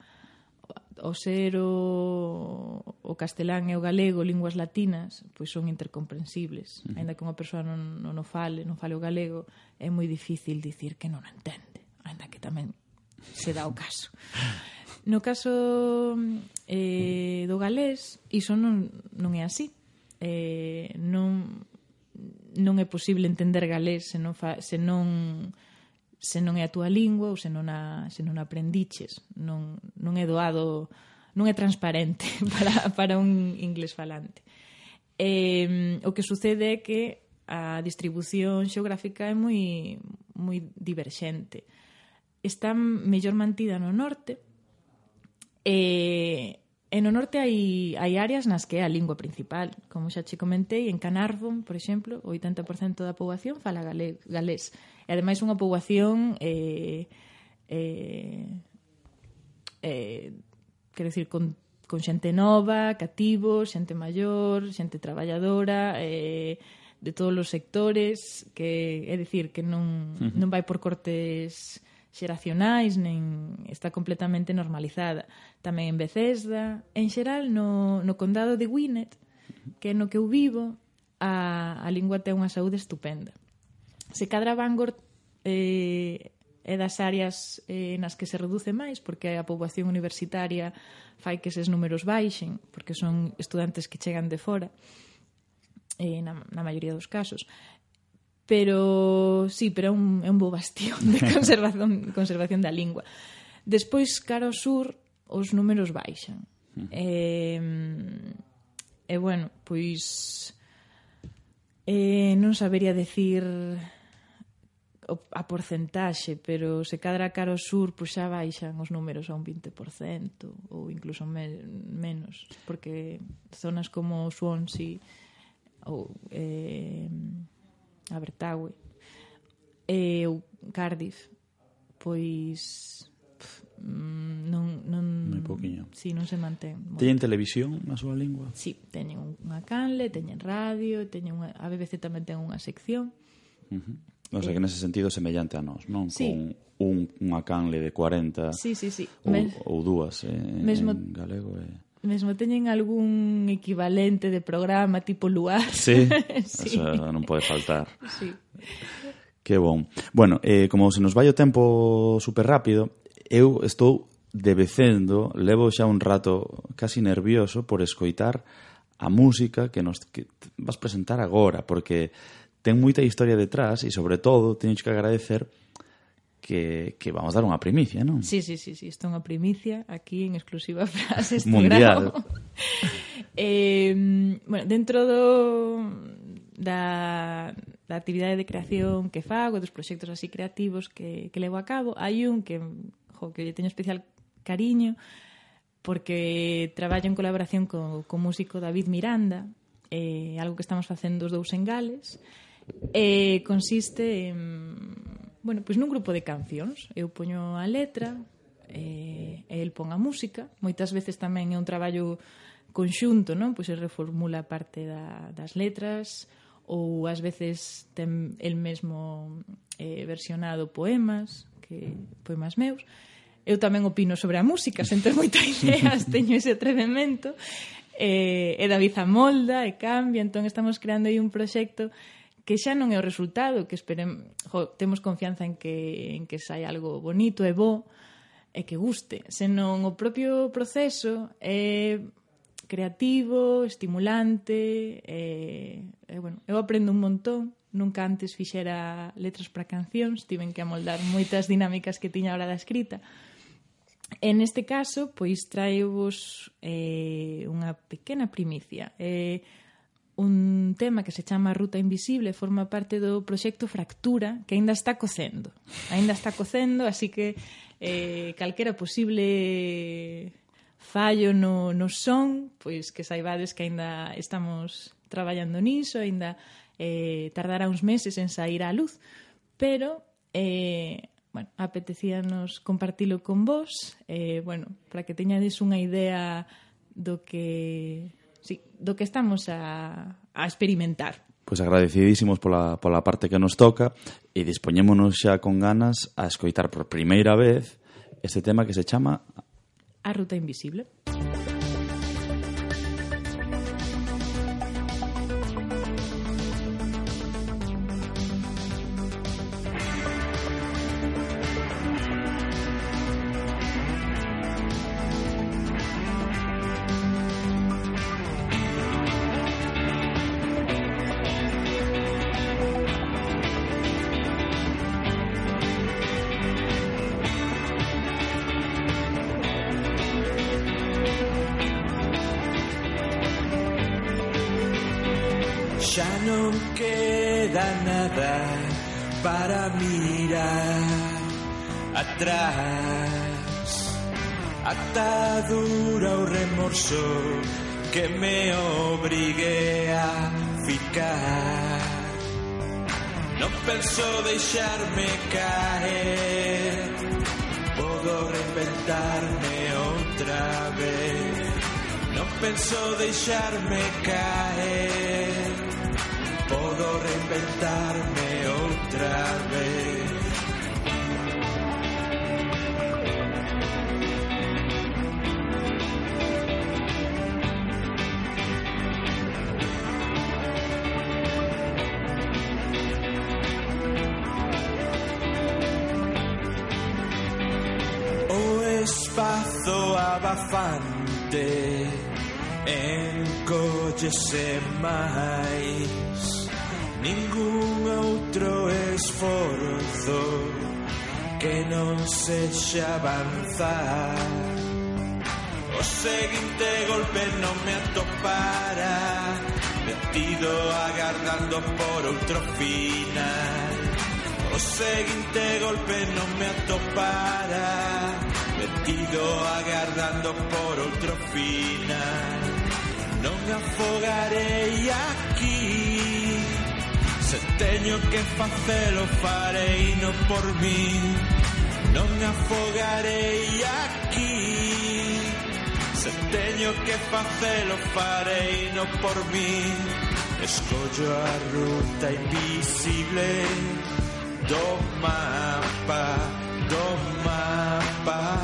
o ser o, o castelán e o galego, linguas latinas, pois son intercomprensibles. Mm. Ainda que unha persoa non, non o fale, non fale o galego, é moi difícil dicir que non o entende, ainda que tamén se dá o caso. No caso eh, do galés, iso non, non é así. Eh, non, non é posible entender galés se non, fa, se non se non é a túa lingua ou se non a, se non a aprendiches. Non, non é doado, non é transparente para, para un inglés falante. Eh, o que sucede é que a distribución xeográfica é moi, moi diverxente. Está mellor mantida no norte e, e no norte hai, hai áreas nas que é a lingua principal, como xa che comentei. En Canardon, por exemplo, o oitenta por cento da poboación fala galé, galés e ademais unha poboación eh, eh, eh, quero dicir con, con xente nova, cativos, xente maior, xente traballadora, eh, de todos os sectores, que é dicir que non, uh-huh. non vai por cortes xeracionais, nen está completamente normalizada. Tamén en Bethesda, en xeral no, no condado de Gwynedd, que é no que eu vivo, a, a lingua ten unha saúde estupenda. Se cadra Bangor eh, é das áreas eh, nas que se reduce máis, porque a poboación universitaria fai que eses números baixen, porque son estudantes que chegan de fora, eh, na, na maioría dos casos. Pero, sí, pero é un, é un bo bastión de conservación, conservación da lingua. Despois, cara ao sur, os números baixan. E, e bueno, pois eh, non sabería decir a porcentaxe, pero se cadra cara ao sur, pois xa baixan os números a un vinte por cento ou incluso me, menos, porque zonas como Swansea ou eh, Abertawe e o Cardiff, pois pff, non non moi pouquiño. Si, non se mantén. Teñen televisión na súa lingua? Si, teñen unha canle, teñen radio, teñen unha, a B B C tamén ten unha sección. Uh-huh. O sea, que nese sentido semellante a nós, non? Sí. Con un, unha canle de cuarenta sí, sí, sí. Ou, Mes... ou dúas eh, mesmo... en galego e... Mesmo teñen algún equivalente de programa tipo Luar. Sí, sí. Eso non pode faltar. Sí. Que bon. Bueno, eh, como se nos vai o tempo super rápido, eu estou debecendo, levo xa un rato casi nervioso por escoitar a música que nos que vas presentar agora, porque ten moita historia detrás e, sobre todo, teño que agradecer que, que vamos dar unha primicia, non? Sí, sí, sí, sí, isto é unha primicia aquí en exclusiva para este mundial. eh, bueno, dentro do da, da actividade de creación que fago, dos proxectos así creativos que, que levo a cabo, hai un que, jo, que teño especial cariño porque traballo en colaboración co, co músico David Miranda, eh, algo que estamos facendo os dous en Gales, e eh, consiste en bueno, pois nun grupo de cancións. Eu poño a letra e eh, el pon a música. Moitas veces tamén é un traballo conxunto, non? Pois se reformula parte da, das letras ou ás veces ten el mesmo eh, versionado poemas, que poemas meus. Eu tamén opino sobre a música, sen ter moitas ideas, teño ese atrevemento. Eh, e David amolda e cambia, entón estamos creando aí un proxecto que xa non é o resultado, que esperem, jo, temos confianza en que, en que sai algo bonito e bo, e que guste, senón o propio proceso é creativo, estimulante, e, e bueno, eu aprendo un montón, nunca antes fixera letras para cancións, tiven que amoldar moitas dinámicas que tiña a hora da escrita. En este caso, pois traevos eh, unha pequena primicia. Eh, un tema que se chama Ruta Invisible, forma parte do proxecto Fractura, que aínda está cocendo. Aínda está cocendo, así que eh, calquera posible fallo no, no son, pois que saibades que aínda estamos traballando niso, aínda eh, tardará uns meses en sair á luz, pero eh, bueno, apetecíanos compartilo con vos, eh, bueno, para que teñades unha idea do que... Sí, do que estamos a, a experimentar. Pois agradecidísimos pola, pola parte que nos toca e dispoñémonos xa con ganas a escoitar por primeira vez este tema que se chama A Ruta Invisible. Xa non queda nada para mirar atrás. Atadura o remorso que me obrigue a ficar. Non penso deixarme caer, podo reinventarme outra vez. Non penso deixarme caer, podo reinventarme outra vez. O espazo abafante encóllese máis, ningún outro esforzo que non sexa avanzar. O seguinte golpe non me atopara, metido agardando por outro final. O seguinte golpe non me atopara, metido agardando por outro final. Non afogarei aquí, se teño que facelo farei no por min. Non afogarei aquí, se teño que facelo farei no por min. Escollo a ruta invisible do mapa, do mapa.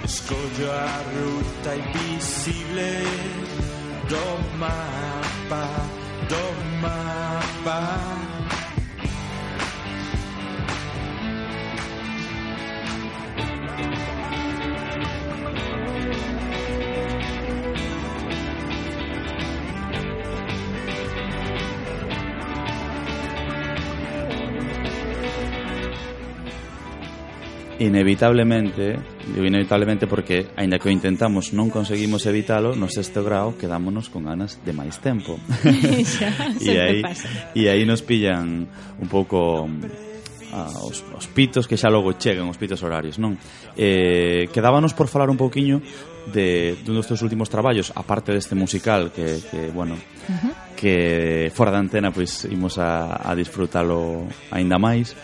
Escollo a ruta invisible do mapa, do mapa. Inevitablemente, digo inevitablemente porque, aínda que o intentamos, non conseguimos evitalo, no sexto grau quedámonos con ganas de máis tempo. Xa, e aí, pasa. E aí nos pillan un pouco ah, os, os pitos que xa logo chegan, os pitos horarios, non? Eh, quedábanos por falar un pouquiño de dun dos teus últimos traballos, aparte deste musical que, que bueno, uh-huh. que fora da antena pois imos a, a disfrutalo aínda máis,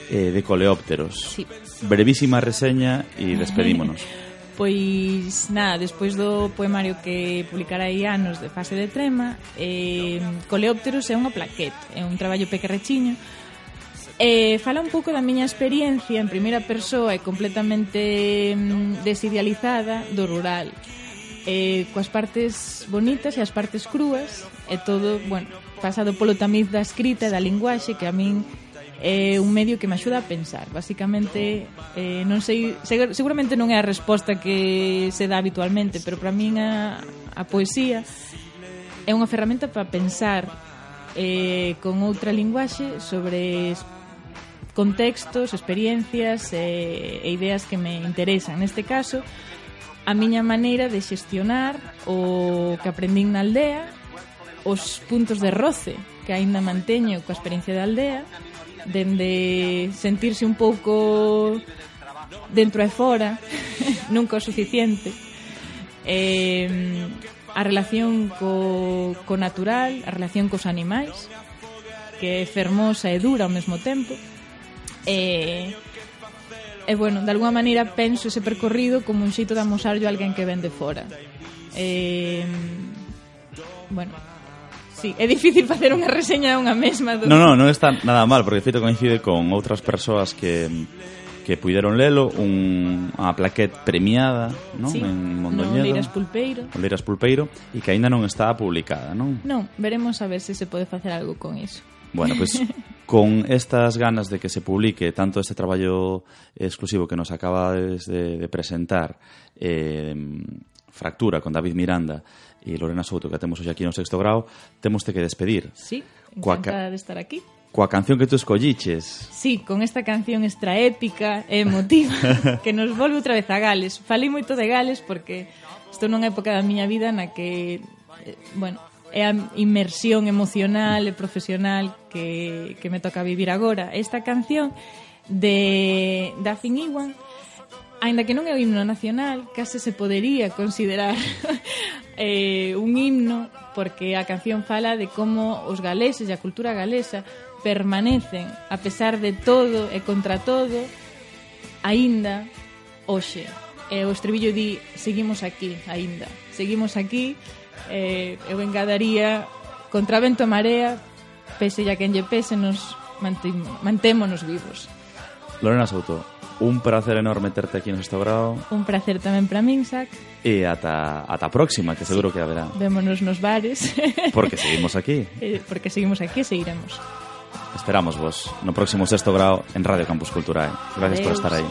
eh, de Coleópteros. Sí. Brevísima reseña e despedímonos. Pois nada, despois do poemario que publicará aí anos de Fase de Trema, eh, Coleópteros é unha plaquete, é un traballo pequerrechiño. Eh, fala un pouco da miña experiencia en primeira persoa e completamente mm, desidealizada do rural, eh, coas partes bonitas e as partes crúas, e todo, bueno, pasado polo tamiz da escrita e da linguaxe, que a min é un medio que me axuda a pensar. Basicamente, eh, non sei, seguramente non é a resposta que se dá habitualmente, pero para min a, a poesía é unha ferramenta para pensar eh, con outra linguaxe sobre contextos, experiencias e, e ideas que me interesan. Neste caso, a miña maneira de xestionar o que aprendín na aldea, os puntos de roce que aínda manteño coa experiencia da aldea, dende sentirse un pouco dentro e fora, nunca o suficiente, eh, a relación co, co natural, a relación cos animais, que é fermosa e dura ao mesmo tempo, e, e bueno, de alguma maneira penso ese percorrido como un xeito de amosarlo a alguén que ven de fora. E, bueno, sí, é difícil facer unha reseña unha mesma do... No, no, non está nada mal, porque de feito coincide con outras persoas que que puideron lelo, un, unha plaquete premiada, non? Sí, En no Mondoñedo. Leiras Pulpeiro. No Leiras Pulpeiro, e que aínda non está publicada, non? Non, veremos a ver se se pode facer algo con iso. Bueno, pois pues, con estas ganas de que se publique tanto este traballo exclusivo que nos acaba de, de presentar, eh, Fractura, con David Miranda e Lorena Souto, que temos hoxe aquí no sexto grao, temos que despedir. Sí, Coa encantada ca- de estar aquí. Coa canción que tú escolliches. Sí, con esta canción extra épica e emotiva que nos volve outra vez a Gales. Falei moito de Gales porque estou nunha época da miña vida na que, eh, bueno, é a inmersión emocional e profesional que, que me toca vivir agora. Esta canción de Daffy Iwan, aínda que non é o himno nacional, case se podería considerar eh, un himno, porque a canción fala de como os galeses e a cultura galesa permanecen, a pesar de todo e contra todo, aínda hoxe. E o estribillo di, seguimos aquí, aínda. Seguimos aquí, eh, eu engadaría, contra vento e marea, pese ya quen lle pese, nos mantémonos vivos. Lorena Souto, un placer enorme terte aquí no sexto grao. Un placer tamén para min, Sac. E ata, ata a próxima, que seguro que haberá. Vémonos nos bares. Porque seguimos aquí. Eh, porque seguimos aquí e seguiremos. Esperamos vos no próximo sexto grao en Radio Campus Culturae. Gracias Adeus. por estar aí.